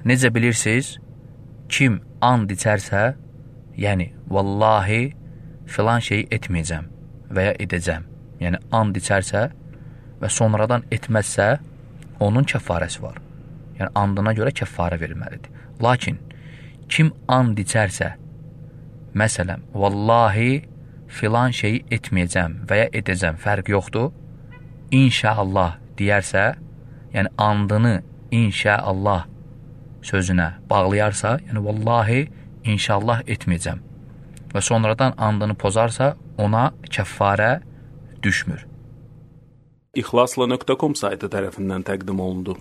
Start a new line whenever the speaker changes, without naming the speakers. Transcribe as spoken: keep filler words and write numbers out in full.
necə bilirsiniz, kim and içərsə, yəni vallahi filan şeyi etməyəcəm və ya edəcəm, yəni and içərsə və sonradan etməzsə, onun kəffarəsi var. Yəni andına görə kəffarə verilməlidir. Lakin kim and içərsə, məsələn, vallahi filan şeyi etməyəcəm və ya edəcəm, fərq yoxdur, inşallah deyərsə, yəni andını inşallah sözünə bağlayarsa, yəni vallahi inşallah etməyəcəm və sonradan andını pozarsa, ona kəffarə düşmür.
İxlasla nöqtə com saytı tərəfindən təqdim olundu.